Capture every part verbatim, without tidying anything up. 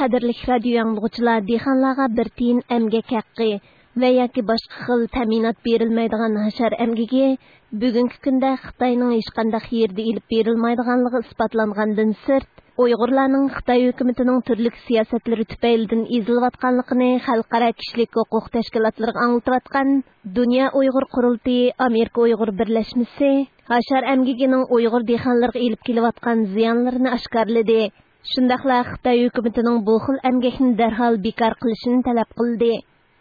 قەدىرلىك رادىيو ئاڭلىغۇچىلار، دېھقانلارغا بىر تىيىن ئەمگەك ھەققى ۋە ياكى باشقا خىل تەمىنات بېرىلمەيدىغان ھاشار ئەمگىكى بۈگۈنكى كۈندە خىتاينىڭ ھېچقانداق يېرىدە ئېلىپ بېرىلمايدىغانلىقى ئىسپاتلانغاندىن سىرت، ئۇيغۇرلارنىڭ خىتاي ھۆكۈمىتىنىڭ تۈرلۈك سىياسەتلىرى تۈپەيلىدىن ئېزىلىۋاتقانلىقىنى خەلقئارا كىشىلىك ھوقۇق تەشكىلاتلىرىغا ئاڭلىتىۋاتقان دۇنيا ئۇيغۇر قۇرۇلتىيى، ئامېرىكا ئۇيغۇر بىرلەشمىسى ھاشار ئەمگىكىنىڭ ئۇيغۇر دېھقانلىرىغا ئېلىپ كېلىۋاتقان زىيانلىرىنى ئاشكارىلىدى. شۇنداقلا خىتاي ھۆكۈمىتىنىڭ بۇ خىل ئەمگەكنى دەرھال بىكار قىلىشىنى تەلەپ قىلدى.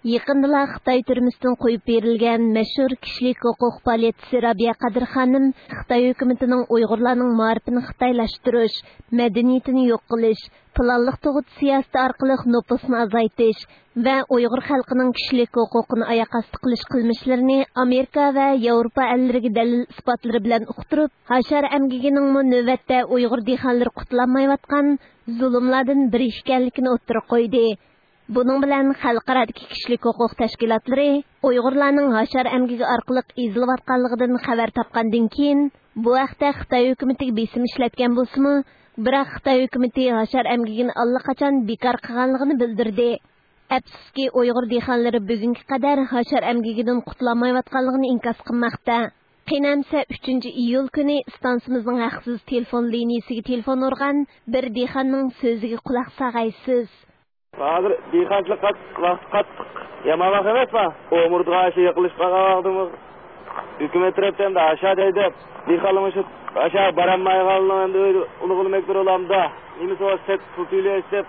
يېقىندىلا خىتاي تۈرمىسىدىن قويۇپ بېرىلگەن مەشھۇر كىشىلىك ھوقۇق پائالىيەتچىسى رابىيە قادىر خانىم خىتاي ھۆكۈمىتىنىڭ ئۇيغۇرلارنىڭ مائارىپىنى خىتايلاشتۇرۇش، مەدەنىيىتىنى يوق قىلىش، پىلانلىق تۇغۇت سىياسىتى ئارقىلىق نوپۇسنى ئازايتىش ۋە ئۇيغۇر خەلقىنىڭ كىشىلىك ھوقۇقىنى ئاياق ئاستى قىلىش قىلمىشلىرىنى ئامېرىكا ۋە ياۋروپا ئەللىرىگە دەلىل ئىسپاتلىرى بىلەن ئۇقتۇرۇپ، ھاشار ئەمگىكىنىڭمۇ نۆۋەتتە ئۇيغۇر دېھقانلىرى قۇتۇلالمايۋاتقان زۇلۇملاردىن بىرى ئىكەنلىكىنى ئوتتۇرىغا قويدى. بۇنىڭ بىلەن خەلقئارادىكى كىشىلىك ھوقۇق تەشكىلاتلىرى ئۇيغۇرلارنىڭ ھاشار ئەمگىكى ئارقىلىق ئېزىلىۋاتقانلىقىدىن خەۋەر تاپقاندىن كېيىن، بۇ ھەقتە خىتاي ھۆكۈمىتىگە بېسىم ئىشلەتكەن بولسىمۇ، بىراق خىتاي ھۆكۈمىتى ھاشار ئەمگىكىنى ئاللىقاچان بىكار قىلغانلىقىنى بىلدۈردى. ئەپسۇسكى، ئۇيغۇر دېھقانلىرى بۈگۈنگە قەدەر ھاشار ئەمگىكىدىن قۇتۇلالمايۋاتقانلىقىنى ئىنكاس قىلماقتا. قېنى ئەمسە، ئۈچىنچى ئىيۇل كۈنى ئىستانسىمىزنىڭ ھەقسىز تېلېفون لىنىيىسىگە تېلېفون ئۇرغان بىر دېھقاننىڭ سۆزىگە قۇلاق ساغايسىز. ھازىر دېھقانچىلىق قات-، ۋاقتى قاتتىق يامان ۋاقىت ئەمەسما؟ ئومۇرتقا ئاشۇ يېقىلىشىپ قالغان ۋاقتىمىز. ھۆكۈمەت تەرەپتىن ئاشا دەيدۇ. دېھقانلار مۇشۇ ئاشا بارالمايدىغانلىقىنى ئەمدى ئۆيدە ئۇلۇغلىماق بولامدا. نېمىسى بار، سەت پۇل تۆلەش دەپ،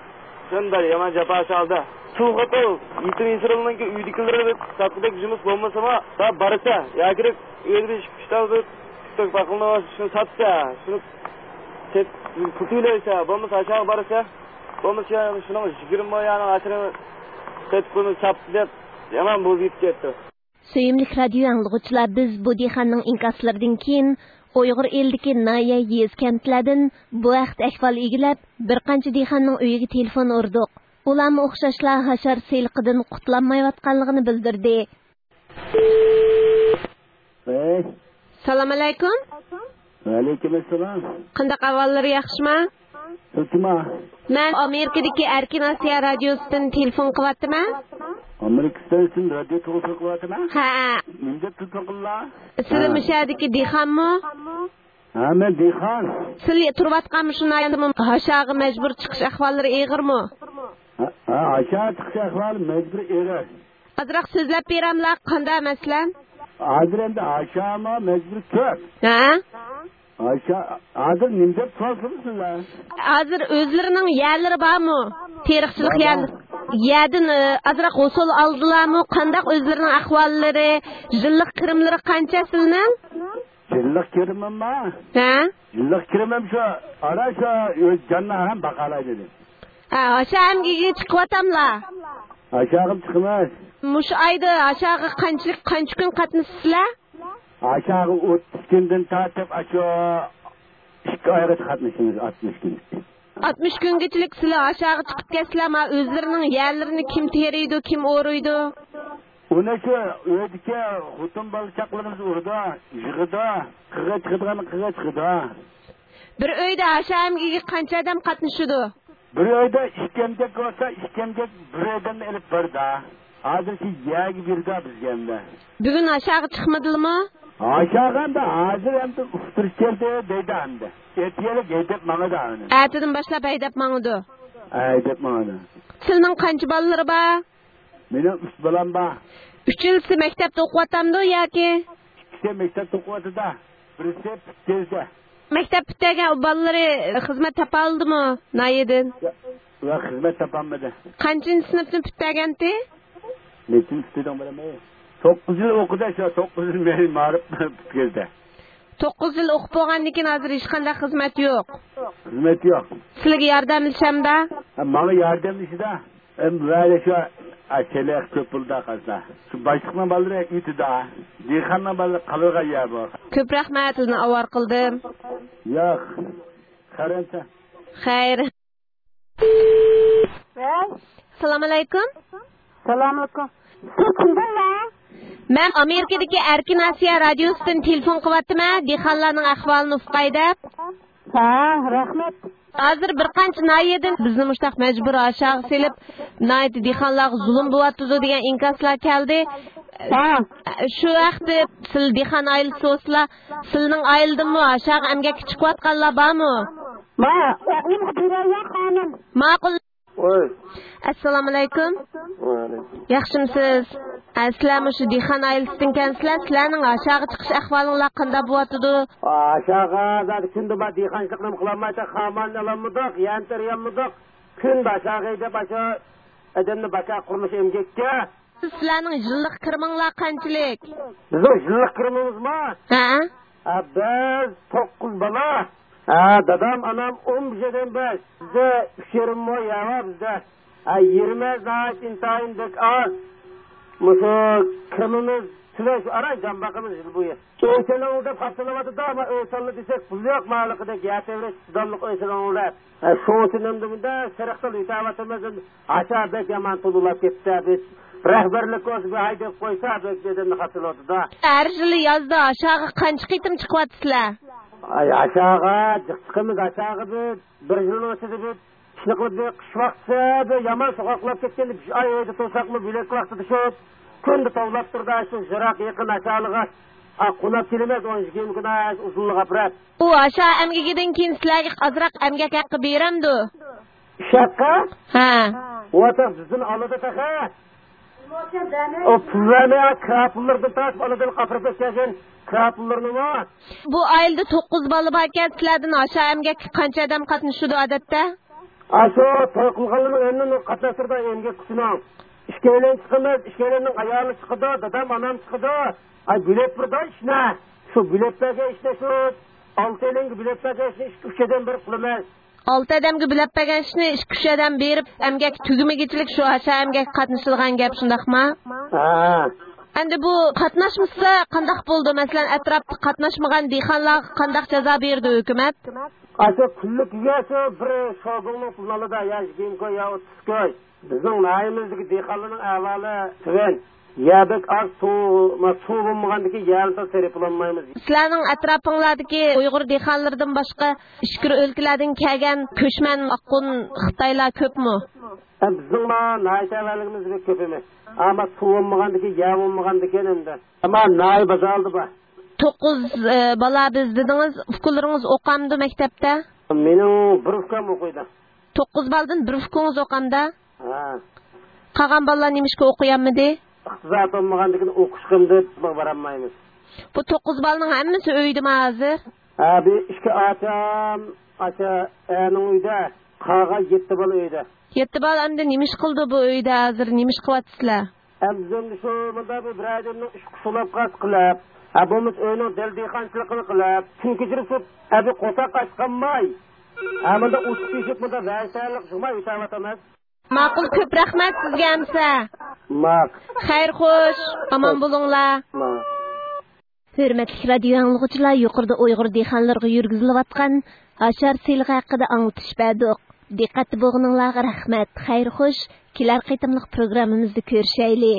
شۇنداق يامان جاپا چالدى. سۇ خوتۇل، يېتىم يېسىرىلنىڭكى ئۆيدىكىلىرى ساتقۇدەك جۇمۇس بولمىسىمۇ، دا بارسا، ياكى ئۆيدە بىر ئىككى ئۈچ تال بىر تۈك باقىلىنى شۇنى ساتسا، شۇنى سەت پۇل تۆلەيسە، بولمىسا ئاشاغا بارسا، بولمىسا شۇنىڭ يىگىرمە مو يانىڭ ئاشىرىنى سېتىپ قويمىسا ساپتۇ دەپ، يامان بوزۇپ كەتتى. سۆيۈملۈك رادىيو ئاڭلىغۇچىلار، بىز بۇ دېھقاننىڭ ئىنكاسلىرىدىن كېيىن ئۇيغۇر ئېلىدىكى ناھىيە، يېزا، كەنتلەردىن بۇ ھەقتە ئەھۋال ئىگىلەپ، بىر قانچە دېھقاننىڭ ئۆيىگە تېلېفون ئۇردۇق. ئۇلارمۇ ئوخشاشلا ھاشار سېلىقىدىن قۇتۇلالمايۋاتقانلىقىنى بىلدۈردى. ۋەي. سالام ئەلەيكۇم. ۋەئەلەيكۇم ئەسسالام. قانداق ئەھۋاللىرى، ياخشىما؟ سىز كىم؟ مەن ئامېرىكىدىكى ئەركىن ئاسىيا رادىيوسىدىن تېلېفون قىلىۋاتىمەن. ئامېرىكا ئىستانسىسىدىن رادىيو تېلېفون قىلىۋاتىمەن؟ ھە. نېمە دەپ تېلېفون قىلدىلا؟ سىلەر ھە. مۇشۇ يەردىكى دېھقانمۇ؟ ھە، مەن دېھقان. سىلەر تۇرۇۋاتقان مۇشۇ ناھىيەدىمۇ ھاشاغا مەجبۇر چىقىش ئەھۋاللىرى ئېغىرمۇ؟ ھە، ھە، ھاشاغا چىقىش ئەھۋالى مەجبۇر ئېغىر. ئازراق سۆزلەپ بېرەملا، قانداق مەسىلەن؟ ھازىر ئەمدى ھاشاما مەجبۇر كۆپ. ھە؟ ھاشا، ھازىر نېمە دەپ سورىسىڭىز سىلەر؟ ھازىر ئۆزلىرىنىڭ يەرلىرى بارمۇ؟ تېرىقچىلىق بار، يەر-، بار. يەردىن، ئى، ئازراق ھوسۇل ئالدىلارمۇ؟ قانداق ئۆزلىرىنىڭ ئەھۋاللىرى؟ يىللىق كىرىملىرى قانچە سىلىنىڭ؟ يىللىق كىرىمىمما؟ ھە؟ يىللىق كىرىمىم شۇ، ئارا شۇ ئۆز جاننى ھەم باقالايدۇ. ھە، ھاشا ئەمگىكىگە چىقىۋاتاملا؟ ھاشاغىمۇ چىقىمىز. مۇشۇ ئايدا ھاشاغا قانچىلىك، قانچە كۈن قاتنىشىسىلەر؟ ھاشاغا ئوتتۇز كۈندىن تارتىپ، ئاشۇ ئىككى ئايغىچە قاتنىشىمىز، ئاتمىش كۈن. ئاتمىش كۈنگىچىلىك سىلەر ھاشاغا چىقىپ كەتسىلەر، ما ئۆزلىرىنىڭ يەرلىرىنى كىم تېرىيدۇ، كىم ئورۇيدۇ؟ ئۇنى شۇ ئۆيدىكى خوتۇن بالا چاقىلىرىمىز ئۇرىدۇ، يىغىدۇ، قىرغا چىقىدىغان قىرغا چىقىدۇ. بىر ئۆيدە ھاشا ئەمگىكىگە قانچە ئادەم قاتنىشىدۇ؟ بىر ئۆيدە ئىككى ئەمگەك بولسا، ئىككى ئەمگەك بىر ئادەمنى ئېلىپ بارىدۇ. ھازىر شۇ يەرگە بېرىدۇ بىزگە ئەمدى. بۈگۈن ھاشاغا چىقمىدىلىمۇ؟ ھاشاغا ئەمدى ھازىر ئەمدى ئۇقتۇرۇش كەلدى دەيدۇ ئەمدى. ئەتىگەنلىك ھەيدەپ ماڭىدۇ ئۇنى. ئەتىدىن باشلاپ ھەيدەپ ماڭىدۇ؟ ھەيدەپ ماڭىدۇ. سىلىنىڭ قانچە بالىلىرى بار؟ مېنىڭ ئۈچ بالام بار. ئۈچىلىسى مەكتەپتە ئوقۇۋاتامدۇ ياكى؟ ئىككىسى مەكتەپتە ئوقۇۋاتىدۇ، بىرسى پۈتكۈزدى. مەكتەپ پۈتتۈرگەن ئۇ بالىلىرى خىزمەت تاپالدىمۇ ناھىيەدىن؟ يا، يا، خىزمەت تاپالمىدى. قانچىنچى سىنىپنى پۈتتۈرگەنتى؟ نەچچىنچى سىنىپنىڭ بالامى؟ توققۇز يىل ئوقۇدى شۇ، توققۇز يىل مەن مائارىپ پۈتكۈزدى. توققۇز يىل ئوقۇپ بولغاندىن كېيىن ھازىر ھېچقانداق خىزمەت يوق؟ خىزمەت يوق. سىلىگە ياردەملىشەمدا؟ ھە، ماڭا ياردەملىشىدۇ. ئەم، ۋەلى شۇ، ئا، چېلىق كۆپ بولىدۇ قارىسا. شۇ باشلىقنىڭ بالىلىرى ئۆتىدۇ. دېھقاننىڭ بالىلىرى قالىدىغان يەر بۇ. كۆپ رەھمەت، سىزنى ئاۋارە قىلدىم. ياق. خەير ئەمسە. خەير. ۋەي. سالام ئەلەيكۇم. سالام ئەلەيكۇم. سىز كىمدىنلا؟ مەن ئامېرىكىدىكى ئەركىن ئاسىيا رادىيوسىدىن تېلېفون قىلىۋاتىمەن، دېھقانلارنىڭ ئەھۋالىنى ئۇققاي دەپ. ھە، رەھمەت. ھازىر بىر قانچە ناھىيەدىن بىزنى مۇشتاق مەجبۇرىي ئاشاغا سېلىپ، ناھايىتى دېھقانلارغا زۇلۇم بولۇۋاتىدۇ دېگەن ئىنكاسلار كەلدى. ھە. شۇ ھەقتە سىلەر دېھقان ئائىلىسى بولسىلا، سىلەرنىڭ ئائىلىدىنمۇ ئاشاغا ئەمگەككە چىقىۋاتقانلار بارمۇ؟ ما، ئوغلۇمغا بېرەي يا خانىم. ماقۇل. ۋاي. ئەسسالامۇئەلەيكۇم. ۋەئەلەيكۇم. ياخشىمۇسىز؟ ئە، سىلەر مۇشۇ دېھقان ئائىلىسىدىنكەنسىلەر، سىلەرنىڭ ئاشاغا چىقىش ئەھۋالىڭلار قانداق بولۇۋاتىدۇ؟ ئاشاغا زادى كۈندە ما دېھقانچىلىقنى قىلالمايتتى، خاماننى ئالالمىدۇق، يەنتەر يالمىدۇق. كۈندە ئاشاغا ھەيدەپ ئاشۇ ئادەمنى باكا قۇرۇلۇش ئەمگەككە. سىلەرنىڭ يىللىق كىرىمىڭلار قانچىلىك؟ بىزنىڭ يىللىق كىرىمىمىزمۇ؟ ھە؟ ھە، بىز توققۇز بالا. ھە، دادام، ئانام ئون بەش ئادەم بىز. بىزدە ئۈچ يېرىم مو يەر بار بىزدە. ھە، يېرىمىز ناھايىتى ئىنتايىن بەك ئاز. مۇشۇ كىرىمىمىز تۆۋەن، شۇ ئاران جان باقىمىز يىل بويى. ئۆي سېلىڭ دەپ خاپسىلاۋاتىدۇ، ئەمما ئۆي سالما دېسەك، پۇل يوق، ماھاللىقىدەك يەر تەۋرەش چىداملىق ئۆي سېلىڭ دەپ. ھە، شۇ ئۈچۈن ئەمدى مۇنداق سېرىقتىن ئۆتەۋاتىمىز. ئاشا بەك يامان توۋلاپ كەتتى. بىز رەھبەرلىك بولسا بىر ھەيدەپ قويسا، بەك ئادەمنى خاتىرلىۋاتىدۇ. ھەر يىلى يازدا ئاشاغا قانچە قېتىم چىقىۋاتىسىلەر؟ ئاي، ئاشاغا جىق چىقىمىز، ئاشاغا بىر، بىر يىلنىڭ ئىچىدە بىر ئىشنى قىلىپ، بىر قىش ۋاقتىسى بىر يامان سوغۇقلاپ كەتكەندە، بىر ئاي ئۆيدە تۇرساقمۇ، بۆلەك ۋاقتىدا شۇ كۈندە توۋلاپ تۇرىدۇ، شۇ يىراق يېقىن ئاشالىغا. ئا، قوناپ كېلىمىز، ئون ئىككى كۈن ئۇزۇنلۇق ئاپىرىپ. ئۇ ئاشا ئەمگىكىدىن كېيىن سىلەرگە ئازراق ئەمگەك ھەققى بېرەمدۇ؟ ئىش ھەققى؟ ھە. ۋاتاق بىزدىن ئالىدۇ تېخى. ئۇ پۇل بەرمەي، كىرا پۇللىرىدىن تارتىپ ئالىدۇ، قاپىرىپ كەلگەن كىرا پۇللىرىنىمۇ. بۇ ئائىلىدە توققۇز بالا باركەن، سىلەردىن ئاشا ئەمگەككە قانچە ئادەم قاتنىشىدۇ ئادەتتە؟ ئاشۇ توي قىلغانلارنىڭ ھەممىنى قاتناشتۇرىدۇ ئەمگەك كۈچىنىڭ. ئىككىيلەن چىقىمىز، ئىككىيلەننىڭ ئايالى چىقىدۇ، دادام، ئانام چىقىدۇ. ئاي، بۆلەپ بېرىدۇ ئىشنى. شۇ بۆلەپ بەرگەن ئىشنى شۇ ئالتەيلەنگە بۆلەپ بەرگەن ئىشنى ئىككى، ئۈچ ئادەم بېرىپ قىلىمىز. ئالتە ئادەمگە بۆلەپ بەرگەن ئىشنى ئىككى، ئۈچ ئادەم بېرىپ، ئەمگەك تۈگىمىگۈچىلىك شۇ ئاشا ئەمگەككە قاتنىشىدىغان گەپ، شۇنداقما؟ ھە. ئەمدى بۇ قاتناشمىسا قانداق بولىدۇ؟ مەسىلەن، ئەتراپتا قاتناشمىغان دېھقانلارغا قانداق جازا بېرىدۇ ھۆكۈمەت؟ ئاشۇ كۈنلۈكىگە شۇ بىر شوگۇڭنىڭ پۇلىنى ئالىدۇ، يا يىگىرمە كوي، يا ئوتتۇز كوي. بىزنىڭ ناھىيەمىزدىكى دېھقانلارنىڭ ئەھۋالى تۆۋەن. يەر بەك ئاز، سۇ، ما، سۇ بولمىغاندىكىن يەرنى تازا تېرىپ بولالمايمىز. سىلەرنىڭ ئەتراپىڭلاردىكى ئۇيغۇر دېھقانلىرىدىن باشقا ئىچكىرى ئۆلكىلەردىن كەلگەن كۆچمەن ئاققۇن خىتايلار كۆپمۇ؟ ھە، بىزنىڭ ما ناھىيە تەۋەلىكىمىز بەك كۆپ ئەمەس. ئەمما سۇ بولمىغاندىكىن، يەر بولمىغاندىكىن ئەمدى. ئەمما ناھىيە بازارلىرىدا بار. توققۇز، ئە، بالا بىز دېدىڭىز، ئۇكىلىرىڭىز ئوقامدۇ مەكتەپتە؟ مېنىڭ بىر ئۇكام ئوقۇيدۇ. توققۇز بالىدىن بىر ئۇكىڭىز ئوقامدا؟ ھە. قالغان بالىلار نېمىشقا ئوقۇيالمىدى؟ ئىقتىساد بولمىغاندىكىن ئوقۇشقىمدى بارالمايمىز. بۇ توققۇز بالىنىڭ ھەممىسى ئۆيدىمۇ ھازىر؟ ھە، بىر ئىككى ئاچام ئاشۇ ئەرنىڭ ئۆيىدە، قالغان يەتتە بالا ئۆيدە. يەتتە بالا ئەمدى نېمە ئىش قىلىدۇ بۇ ئۆيدە ھازىر؟ نېمە ئىش قىلىۋاتىسىلەر؟ ئەمدى شۇ مۇنداق بىر، بىر ئادەمنىڭ ئىشقا سولاپ قالسا قىلىپ، ھە، بولمىسا ئۆينىڭ دەل دېھقانچىلىقىنى قىلىپ، كۈن كەچۈرۈپ شۇ ئەبى قورساق ئاچقانماي، ھە، مۇنداق ئوچۇق تېشىپ، مۇنداق ۋەيسەنلىك يىغماي ئۆتەۋاتىمىز. ماقۇل، كۆپ رەھمەت سىزگە ئەمسە. ماق. خەير خوش، ئامان بولۇڭلار. ماق. ھۆرمەتلىك رادىيو ئاڭلىغۇچىلار، يۇقىرىدا ئۇيغۇر دېھقانلىرىغا يۈرگۈزۈلۈۋاتقان ئاشار سېلىقى ھەققىدە ئاڭلىتىش بەردۇق. دىققەتتە بولغىنىڭلارغا رەھمەت. خەير خوش، كېلەر قېتىملىق پروگراممىمىزدا كۆرۈشەيلى.